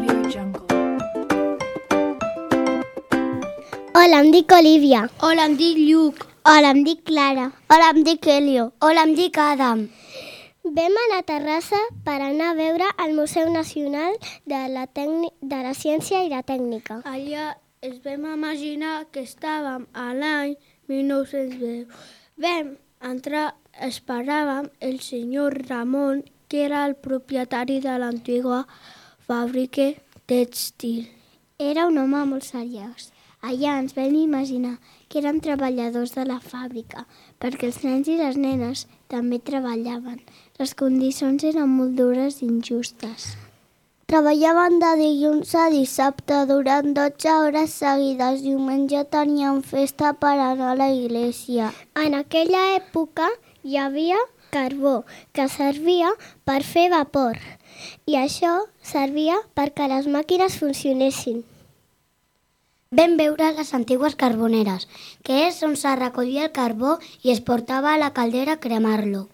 AudioJungle. Hola, em dic Olivia. Hola, em dic Lluc. Hola, em dic Clara. Hola, em dic Helio. Hola, em dic Adam. Vam anar a Terrassa per anar a veure el Museu Nacional de la Ciència i la Tècnica. Allà ens vam imaginar que estàvem a l'any 1910. Vam entrar, esperàvem el senyor Ramon, que era el propietari de l'antiga fàbrica tèxtil. Era un home molt seriós. Allà ens vam imaginar que eren treballadors de la fàbrica, perquè els nens i les nenes també treballaven. Les condicions eren molt dures i injustes. Treballaven de dilluns a dissabte durant 12 hores seguides. Diumenge tenien festa per anar a la iglesia. En aquella època hi havia carbó, que servia per fer vapor, i això servia perquè les màquines funcionessin. Vam veure les antigues carboneres, que és on se recollia el carbó i es portava a la caldera a cremar-lo.